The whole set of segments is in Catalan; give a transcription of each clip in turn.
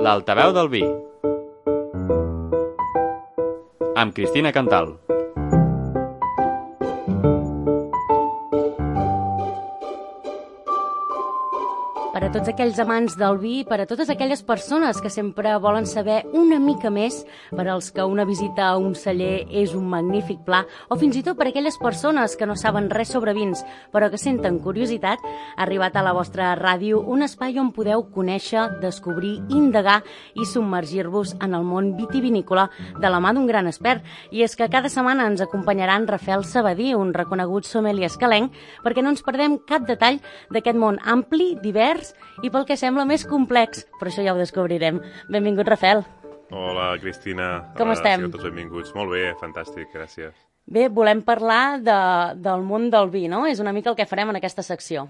L'altaveu del vi, amb Cristina Cantal. Per a tots aquells amants del vi, per a totes aquelles persones que sempre volen saber una mica més, per als que una visita a un celler és un magnífic pla, o fins i tot per a aquelles persones que no saben res sobre vins, però que senten curiositat, ha arribat a la vostra ràdio un espai on podeu conèixer, descobrir, indagar i submergir-vos en el món vitivinícola de la mà d'un gran expert. I és que cada setmana ens acompanyarà en Rafael Sabadí, un reconegut sommelier escalenc, perquè no ens perdem cap detall d'aquest món ampli, divers i pel que sembla més complex, però això ja ho descobrirem. Benvingut, Rafael. Hola, Cristina. Com estem? Sigueu tots benvinguts. Molt bé, fantàstic, gràcies. Bé, volem parlar del món del vi, no? És una mica el que farem en aquesta secció.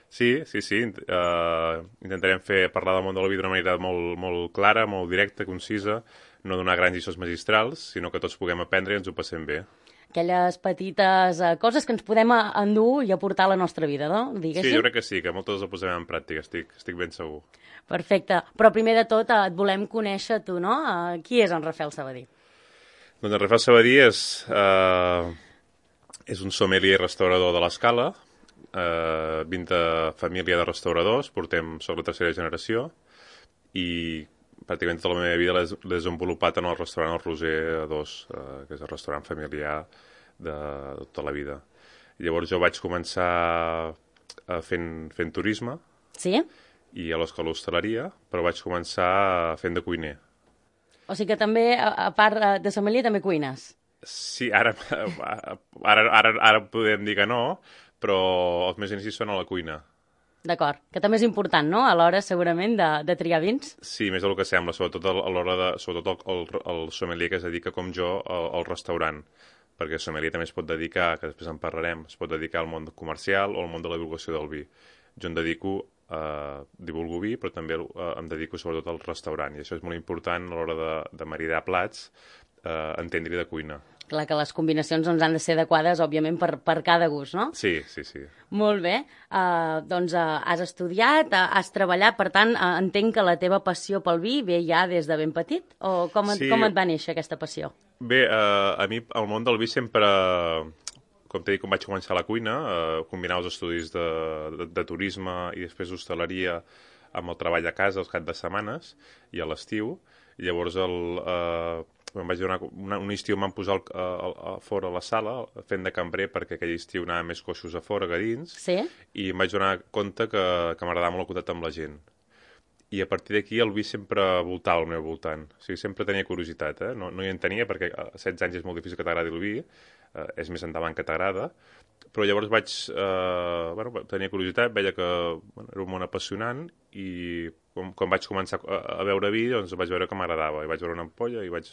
Sí. Intentarem parlar del món del vi d'una manera molt clara, molt directa, concisa, no donar grans lliçons magistrals, sinó que tots puguem aprendre i ens ho passem bé. Aquelles petites coses que ens podem endur i aportar a la nostra vida, no? Diguéssim. Sí, jo crec que sí, que moltes les posem en pràctica, estic ben segur. Perfecte. Però primer de tot et volem conèixer tu, no? Qui és en Rafael Sabadí? Doncs en Rafael Sabadí és un sommelier i restaurador de l'Escala, vinc de família de restauradors, soc la tercera generació, i pràcticament tota la meva vida l'he desenvolupat en el restaurant El Roser 2, que és el restaurant familiar de tota la vida. Llavors jo vaig començar fent turisme, sí? I a l'escola d'hostaleria, però vaig començar fent de cuiner. O sigui que també, a part de sommelier, també cuines? Sí, ara podem dir que no, però els meus inicis són a la cuina. D'acord, que també és important, no?, a l'hora, segurament, de triar vins. Sí, més del que sembla, sobretot el sommelier que es dedica, com jo, al restaurant, perquè el sommelier també es pot dedicar, que després en parlarem, es pot dedicar al món comercial o al món de la divulgació del vi. Jo em dedico divulgo vi, però també em dedico sobretot al restaurant, i això és molt important a l'hora de maridar plats, entendre-hi de cuina. Clar que les combinacions doncs, han de ser adequades, òbviament, per cada gust, no? Sí. Molt bé. Doncs has estudiat, has treballat, per tant, entenc que la teva passió pel vi ve ja des de ben petit? O com et va néixer aquesta passió? Bé, a mi el món del vi sempre, com t'he dit, quan vaig començar a la cuina, combinar els estudis de turisme i després d'hostaleria amb el treball a casa els caps de setmanes i a l'estiu. Llavors un estiu em van posar fora a la sala fent de cambrer perquè aquell estiu anava més coixos a fora que a dins, sí? I em vaig donar compte que m'agradava molt el contacte amb la gent. I a partir d'aquí el vi sempre voltava al meu voltant. O sigui, sempre tenia curiositat, no hi en tenia perquè a 16 anys és molt difícil que t'agradi el vi, és més endavant que t'agrada, però llavors vaig tenir curiositat, veia que era un món apassionant i quan vaig començar a beure vi doncs vaig veure que m'agradava i vaig veure una ampolla i vaig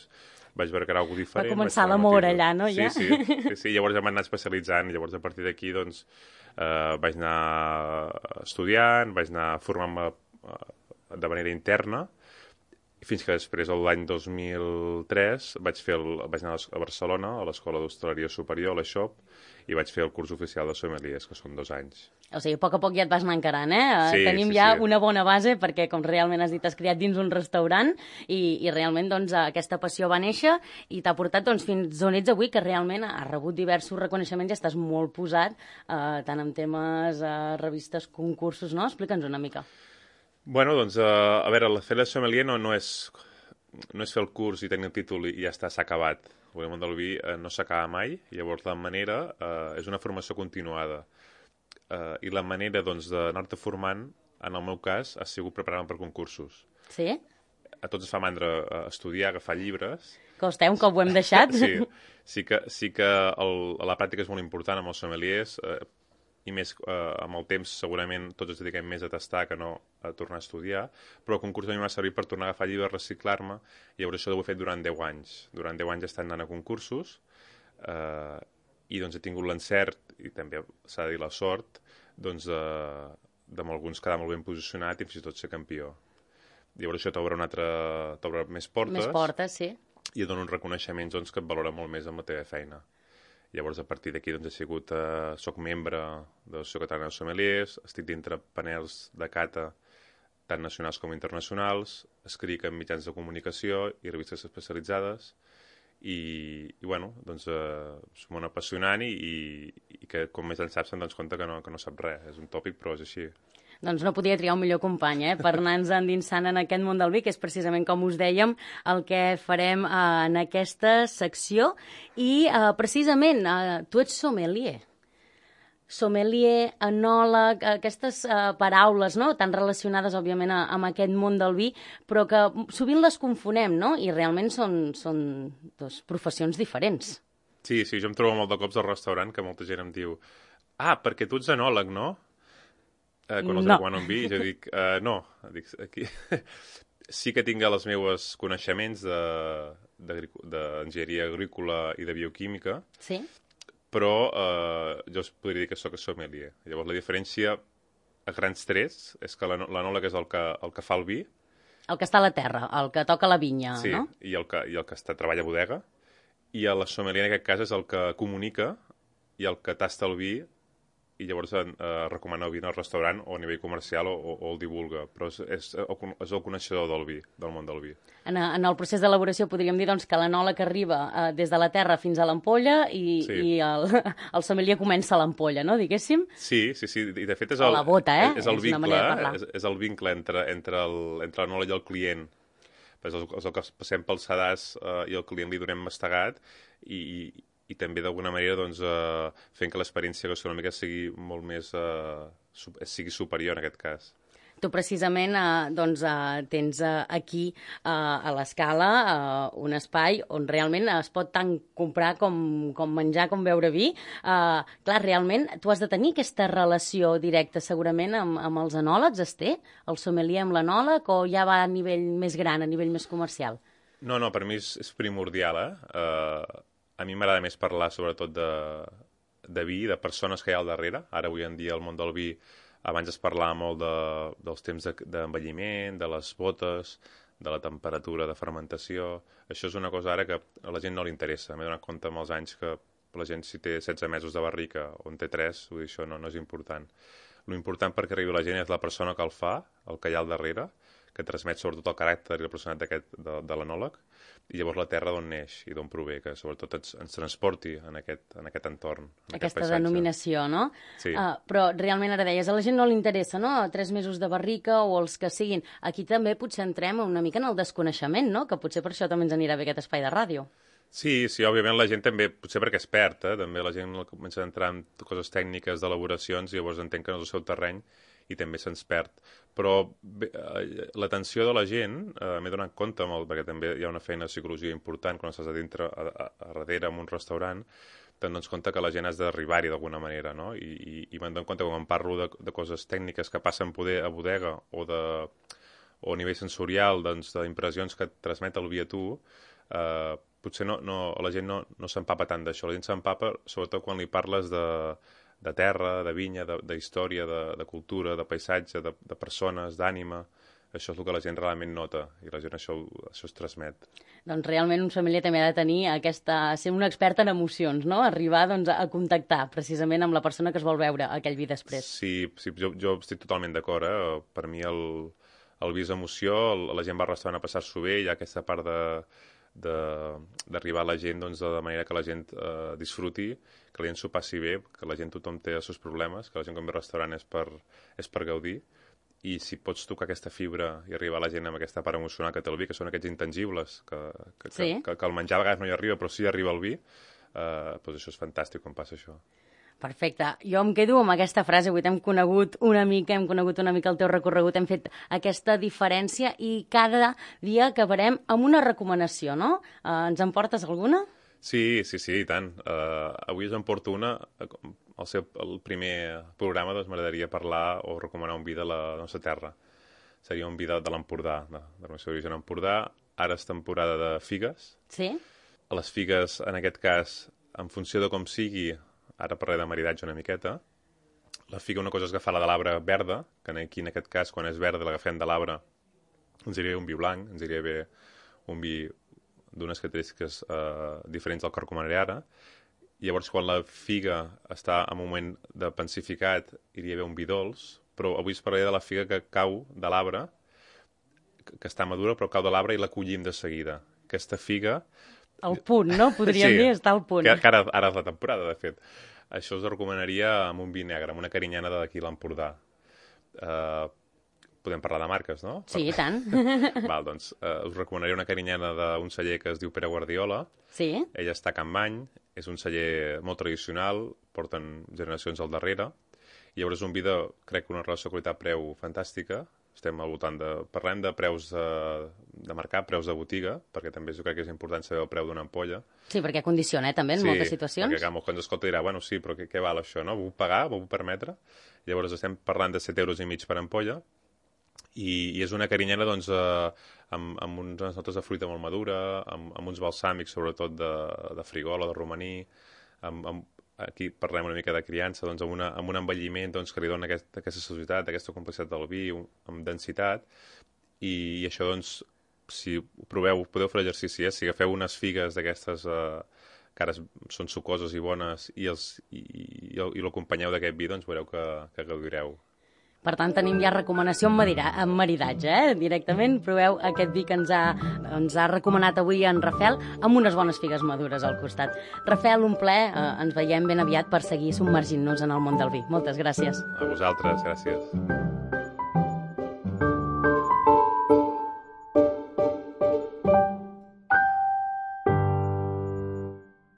veure que era alguna diferent. Va començar l'amor allà, no? Ja? Sí, llavors ja m'han anat especialitzant i llavors a partir d'aquí doncs vaig anar estudiant, vaig anar formant-me de manera interna fins que després, l'any 2003, vaig anar a Barcelona, a l'Escola d'Hostaleria Superior, a l'ESHOP, i vaig fer el curs oficial de sommeliers, que són 2 anys. O sigui, a poc ja et vas anar encarant, Sí, Tenim ja una bona base, perquè, com realment has dit, has criat dins un restaurant, i realment, doncs, aquesta passió va néixer i t'ha portat, doncs, fins on ets avui, que realment has rebut diversos reconeixements i estàs molt posat, tant en temes, revistes, concursos, no? Explica'ns una mica. Bueno, doncs, a veure, fer de sommelier no és fer el curs i tenir el títol i ja està, s'ha acabat. El món del vi no s'acaba mai, llavors la manera és una formació continuada. I la manera, doncs, d'anar-te formant, en el meu cas, ha sigut preparant per concursos. Sí? A tots ens fa mandra estudiar, agafar llibres. Costa, un cop ho hem deixat. Sí que la pràctica és molt important amb els sommeliers, i més amb el temps segurament tots ens dediquem més a tastar que no a tornar a estudiar, però el concurs a mi m'ha servit per tornar a agafar llibres, reciclar-me, i llavors això ho he fet durant 10 anys. Durant 10 anys estant anant a concursos, i doncs he tingut l'encert, i també s'ha de dir la sort, doncs de alguns quedar molt ben posicionat i fins i tot ser campió. Llavors això t'obre més portes. Més portes, sí. I et dona uns reconeixements doncs, que et valora molt més amb la teva feina. Llavors, a partir d'aquí, doncs, soc membre de l'Associació Catalana de Sommeliers, estic dintre panels de cata tant nacionals com internacionals, escric en mitjans de comunicació i revistes especialitzades, i bueno, doncs és molt apassionant i que com més en saps se'n dones compte que no sap res. És un tòpic, però és així. Doncs no podia triar un millor company, per anar-nos endinsant en aquest món del vi, que és precisament, com us dèiem, el que farem en aquesta secció. I precisament, tu ets sommelier. Sommelier, enòleg, aquestes paraules, no?, tan relacionades, òbviament, amb aquest món del vi, però que sovint les confonem, no?, i realment són dues professions diferents. Sí, jo em trobo molt de cops al restaurant que molta gent em diu perquè tu ets enòleg, no? Quan els recomano un vi, i jo dic, no. Dic, aquí sí que tinc els meus coneixements d'enginyeria agrícola i de bioquímica, sí, però jo us podria dir que soc sommelier. Llavors, la diferència a grans trets és que l'enòleg és el que fa el vi. El que està a la terra, el que toca la vinya, sí, no? Sí, i el que treballa a bodega. I el sommelier, en aquest cas, és el que comunica i el que tasta el vi i llavors recomana el vi al restaurant o a nivell comercial o el divulga. Però és el coneixedor del vi, del món del vi. En el procés d'elaboració podríem dir doncs, que l'enòleg arriba des de la terra fins a l'ampolla i el sommelier comença a l'ampolla, no, diguéssim? Sí, i de fet és el, la bota, és el vincle, és el vincle entre l'enòleg i el client. És el que passem pel sedàs i el client li donem mastegat i també d'alguna manera doncs, fent que l'experiència gastronòmica sigui molt més sigui superior en aquest cas. Tu precisament tens aquí a l'Escala un espai on realment es pot tant comprar com menjar, com beure vi. Clar, realment tu has de tenir aquesta relació directa segurament amb els enòlegs, es té? El sommelier amb l'enòleg o ja va a nivell més gran, a nivell més comercial? No, per mi és primordial, A mi m'agrada més parlar sobretot de vi, de persones que hi ha al darrere. Ara, avui en dia, el món del vi, abans es parlava molt dels temps d'envelliment, de les botes, de la temperatura de fermentació. Això és una cosa ara que a la gent no li interessa. M'he donat compte amb els anys que la gent, si té 16 mesos de barrica o en té 3, vull dir, això no és important. L'important perquè arribi la gent és la persona que el fa, el que hi ha al darrere, que transmet sobretot el caràcter i la personalitat de l'enòleg, i llavors la terra d'on neix i d'on prové, que sobretot ens transporti en aquest entorn, en aquesta aquest denominació, no? Sí. Però realment ara deies, a la gent no li interessa, no?, 3 mesos de barrica o els que siguin. Aquí també potser entrem una mica en el desconeixement, no?, que potser per això també ens anirà bé aquest espai de ràdio. Sí, òbviament la gent també, potser perquè és perd, també la gent comença a entrar en coses tècniques d'elaboracions i llavors entén que no és el seu terreny i també se'ns perd. Però l'atenció de la gent, m'he donat compte molt, perquè també hi ha una feina de psicologia important quan estàs a dintre, a darrere, en un restaurant, te'n dones compte que la gent has d'arribar-hi d'alguna manera, no? I me'n dono compte quan em parlo de coses tècniques que passen poder a bodega o a nivell sensorial, doncs, d'impressions que et transmet el vi a tu, potser la gent no s'empapa tant d'això. La gent s'empapa sobretot quan li parles de terra, de vinya, de història, de cultura, de paisatge, de persones, d'ànima. Això és el que la gent realment nota i la gent això es transmet. Doncs realment un sommelier també ha de tenir ser un expert en emocions, no? Arribar a contactar precisament amb la persona que es vol beure aquell vi després. Sí, jo estic totalment d'acord. Per mi el vi és emoció, la gent va al restaurant a passar-s'ho bé, hi ha aquesta part d'arribar a la gent de manera que la gent disfruti, que la gent s'ho passi bé, que la gent tothom té els seus problemes, que la gent quan ve al restaurant és per gaudir, i si pots tocar aquesta fibra i arribar a la gent amb aquesta part emocional que té el vi, que són aquests intangibles, que el menjar a vegades no hi arriba, però sí arriba el vi, doncs això és fantàstic quan passa això. Perfecte. Jo em quedo amb aquesta frase. Avui hem conegut una mica el teu recorregut, hem fet aquesta diferència i cada dia acabarem amb una recomanació, no? Ens en portes alguna? Sí, i tant. Avui us en porto una. El primer programa doncs, m'agradaria parlar o recomanar un vi de la nostra terra. Seria un vi de l'Empordà, de la seva origen Empordà. Ara és temporada de figues. Sí. Les figues, en aquest cas, en funció de com sigui, ara parlaré de maridatge una miqueta. La figa, una cosa és agafar la de l'arbre verda, que aquí en aquest cas, quan és verda, l'agafem de l'arbre, ens iria bé un vi blanc, ens iria bé un vi d'unes característiques diferents del que recomanaré ara. Llavors, quan la figa està en un moment de pensificat, iria bé un vi dolç, però avui us parlaré de la figa que cau de l'arbre que està madura, però cau de l'arbre i la collim de seguida. Aquesta figa... Al punt, no? Podríem dir, està al punt. Que ara és la temporada, de fet. Això us recomanaria amb un vi negre, amb una carinyana d'aquí a l'Empordà. Podem parlar de marques, no? Sí, i tant. Val, doncs us recomanaria una carinyana d'un celler que es diu Pere Guardiola. Sí. Ella està a Can Bany, és un celler molt tradicional, porten generacions al darrere, i llavors és un vi de, crec que una relació qualitat-preu fantàstica. Estem al voltant parlem de preus de mercat, preus de botiga, perquè també jo crec que és important saber el preu d'una ampolla. Sí, perquè condiciona, també, en moltes situacions. Sí, perquè molts quan escolta dirà, bueno, sí, però què val això, no? Vull pagar, vull permetre? Llavors estem parlant de 7,5 € per ampolla, i és una carinyana, doncs, amb unes notes de fruita molt madura, amb uns balsàmics, sobretot de frigola, de romaní, aquí parlem una mica de criança, doncs, amb un envelliment doncs, que li dona aquesta societat, aquesta complexitat del vi, amb densitat, i això, doncs, si ho proveu, podeu fer l'exercici, si agafeu unes figues d'aquestes que ara són sucoses i bones i l'acompanyeu d'aquest vi, doncs veureu que gaudireu. Per tant, tenim ja recomanació en maridatge, directament. Proveu aquest vi que ens ha recomanat avui en Rafel, amb unes bones figues madures al costat. Rafel, un plaer. Ens veiem ben aviat per seguir submergint-nos en el món del vi. Moltes gràcies. A vosaltres, gràcies.